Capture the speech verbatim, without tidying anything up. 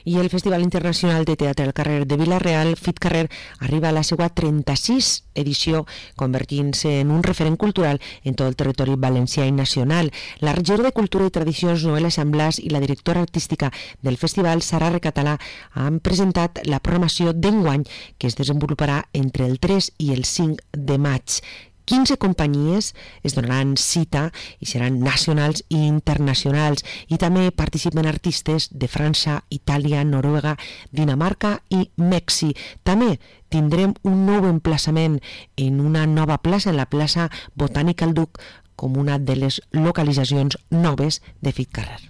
I el Festival Internacional de Teatre al Carrer de Vila-real, FitCarrer, arriba a la seva trenta-sis edició, convertint-se en un referent cultural en tot el territori valencià i nacional. La regidora de Cultura i Tradicions, Noelia Sant Blas, i la directora artística del festival, Sara Recatalà, han presentat la programació d'enguany, que es desenvoluparà entre el tres i el cinc de maig. quinze companyies es donaran cita i seran nacionals i internacionals, i també participen artistes de França, Itàlia, Noruega, Dinamarca i Mèxic. També tindrem un nou emplaçament en una nova plaça, en la plaça Botànica al Duc, com una de les localitzacions noves de FitCarrer.